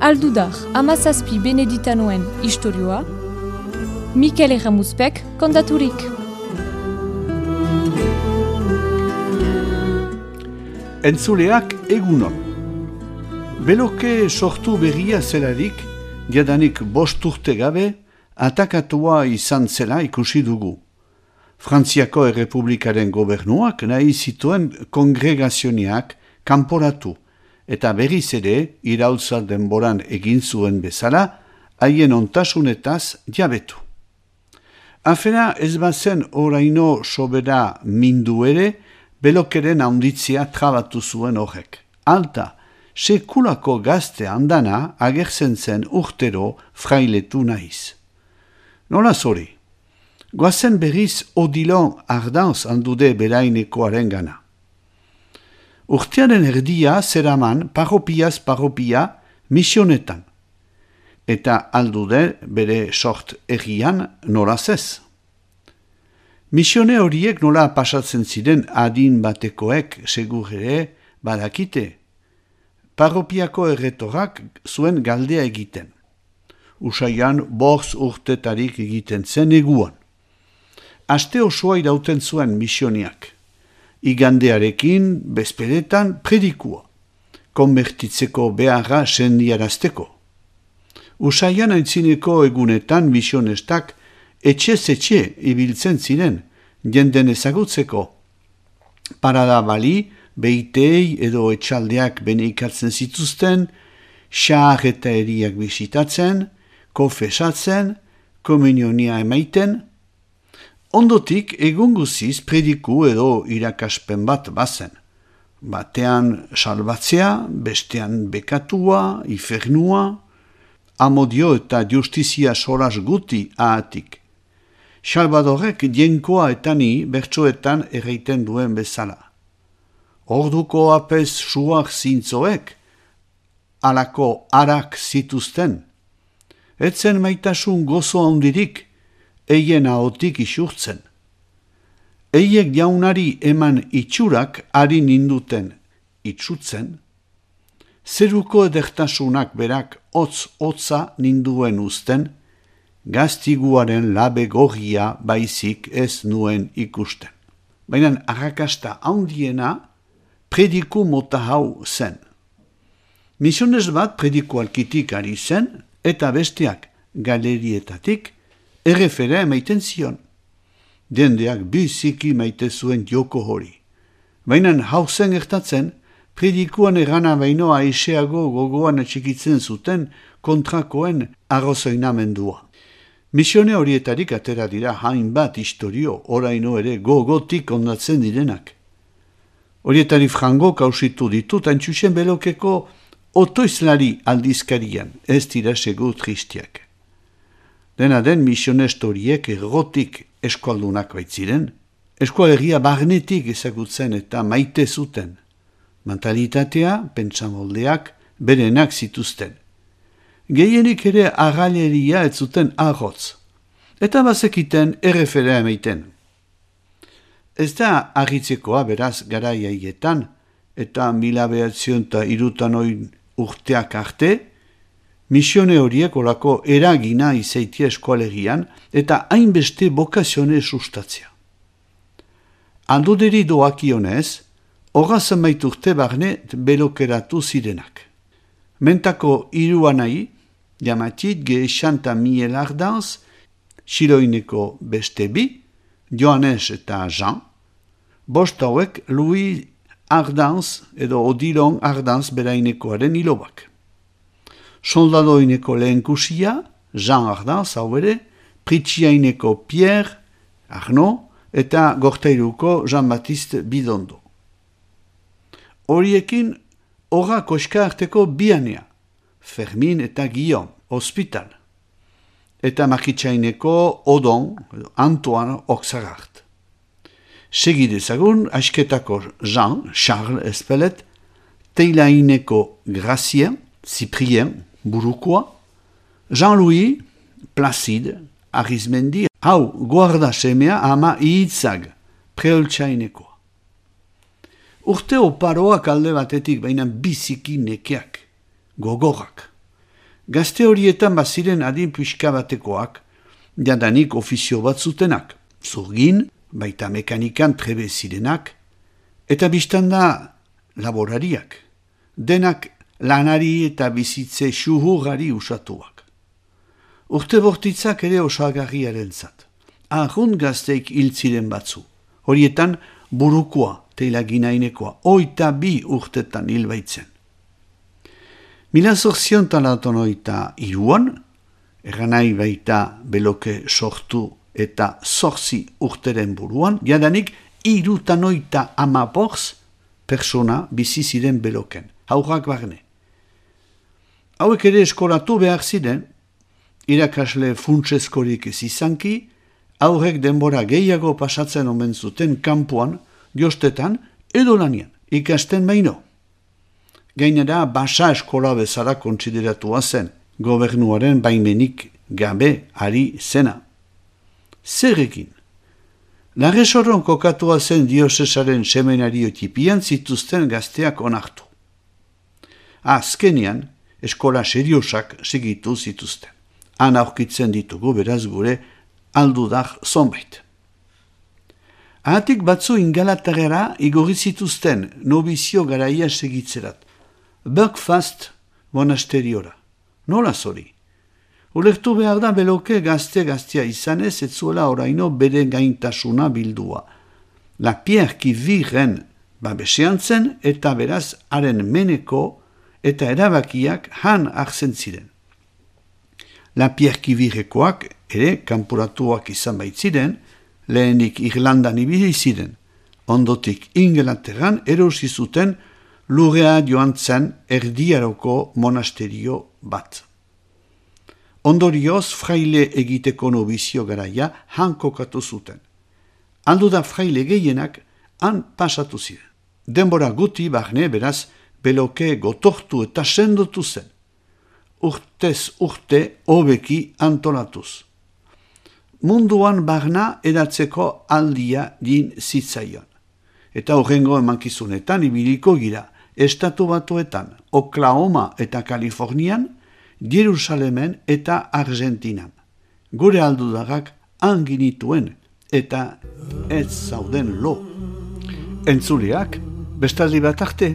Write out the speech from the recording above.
Aldudar, Hamazazpi Beneditanoen istorioa, Mikel Erramuzpek kontaturik. Entzuleak egunon. Beloke sortu berria zelarik, jadanik 5 urte gabe, atakatua izan zela ikusi dugu. Frantziako Errepublikaren gobernuak nahi zituen kongregazioniak kanporatu, eta berriz ere, iraultza denboran egin zuen bezala, haien ontasunetaz jabetu. Afera ez bazen oraino sobera mindu ere, Belokeren handitzea trabatu zuen horrek. Alta, sekulako gazte andana agertzen zen urtero frailetu nahiz. Nola zori? Goazen berriz Odilon Ardanz handude berainekoaren gana. Urtearen erdia zeraman parropiaz parropia misionetan. Eta aldude bere sort errian nolaz ez. Misione horiek nola pasatzen ziren adin batekoek segur ere badakite. Parropiako erretorak zuen galdea egiten. Usaian 5 urtetarik egiten zen eguan. Aste osoa irauten zuen misioniak. Igandearekin, bezperetan, predikua. Konbertitzeko beharra sendiarazteko. Usaian aintzineko egunetan misionestak etxe ibiltzen ziren, jenden ezagutzeko. Parada bali, beitei edo etxaldeak beneikatzen zituzten, xahar eta eriak bisitatzen, konfesatzen, komunionia emaiten. Ondotik egun guziz prediku edo irakaspen bat bazen. Batean salbatzea, bestean bekatua, ifernua, amodio eta justizia solas guti ahatik. Salvadorek dienkoa eta ni bertsoetan erreiten duen bezala. Orduko apez suak zintzoek, alako arak zituzten. Etzen maitasun gozo handirik, eien ahotik isurtzen. Eiek jaunari eman itxurak ari ninduten itxutzen, zeruko edertasunak berak hotza ninduen uzten, gaztiguaren labe gorria baizik ez nuen ikusten. Baina arrakasta handiena prediku mota hau zen. Misiones bat prediku alkitik ari zen, eta besteak galerietatik errefera emaiten zion. Dendeak biziki maite zuen joko hori. Baina hau zen gertatzen, predikuan erana baino aiseago gogoan atxikitzen zuten kontrakoen arrozoinamendua. Misione horietarik atera dira hainbat istorio, oraino ere gogotik ondatzen direnak. Horietari frango kausitu ditut antxusen Belokeko otoizlari aldizkarian, ez dira segu tristiak. Dena den misiones horiek errotik eskualdunak baitziren, eskualegia barnetik ezagutzen eta maite zuten. Mentalitatea, pentsamoldeak, berenak zituzten. Gehienik ere agaleria ez zuten arrotz, eta bazekiten errefera emaiten. Ez da argitzekoa beraz garaiaietan, eta 1903 urteak arte, misione horiek olako eragina izaitia eskualegian eta hainbeste bokazione sustatzea. Alduderi doakionez, horra zenbait urte barne belokeratu zirenak. Mentako hiruanai, Jamatit, Geixanta Miel Ardanz, Xiloineko beste bi, Joanes eta Jean, bost hauek Louis Ardanz edo Odilon Ardanz berainekoaren hilobak. Soldadoineko lehenkusia, Jean Ardanz hau ere, Pritxiaineko Pierre, Arnaud, eta Gortairuko Jean-Baptiste Bidondo. Horiekin horra koska arteko bianea, Fermin eta Guillaume, hospital. Eta Makitxaineko Odon, Antoine Oxagart. Segidezagun, asketako Jean, Charles Espelet, Teilaineko Gracien, Cyprien, Burukoa, Jean-Louis, Placide, Arizmendi, hau guarda semea ama ihitzag, preoltsainekoa. Urte oparoak alde batetik baina biziki nekeak, gogorrak. Gazte horietan baziren adin pixka batekoak, jadanik ofizio bat zutenak, zurgin, baita mekanikan trebe zirenak, eta biztanda laborariak, denak lanari eta bizitze xuhurari usatuak. Urte bortitzak ere osagarriaren zat. Ahun gazteik hiltziren batzu, horietan burukoa, teilaginainekoa, 22 urtetan hilbaitzen. 1983an, erranai baita beloke sortu eta 8 urteren buruan, jadanik 74 persona bizi ziren beloken, haurrak barne. Hauek ere eskolatu behar ziren, irakasle funtseskorik ez izanki, aurrek denbora gehiago pasatzen omen zuten kanpoan, jostetan edo lanian, ikasten baino. Gainera, basa eskola bezala kontsideratua zen, gobernuaren baimenik gabe ari zena. Zerrekin? Larresorron kokatua zen diosesaren semenario tipian zituzten gazteak onartu. Azkenean, eskola seriosak segitu zituzten. Han aurkitzen ditugu beraz gure aldudak zonbait. Ahatik batzu ingalaterrera igorri zituzten nobizio garaia segitzerat. Buckfast monasteriora. Nola zori? Ulertu behar da beloke gaztea izanez ez zuela oraino bere gaintasuna bildua. La Pierre Kiviren babesean zen eta beraz haren meneko eta erabakiak han hartzen ziren. La Pierre Kivirekoak ere kanporatuak izan baitziren, lehenik Irlandan ibili ziren, ondotik Inglaterran erosi zuten lurrea joan zen erdiaroko monasterio bat. Ondorioz fraile egiteko nobizio garaia han kokatu zuten. Aldu da fraile gehienak han pasatu ziren. Denbora guti barne beraz beloke gotortu eta sendotu zen. Urtez urte hobeki antolatuz. Munduan barna edatzeko aldia din zitzaion. Eta horrengo emankizunetan ibiliko gira, Estatu Batuetan, Oklahoma eta Kalifornian, Jerusalemen eta Argentinan. Gure aldudagak anginituen eta ez zauden lo. Entzuleak, bestaldi bat arte.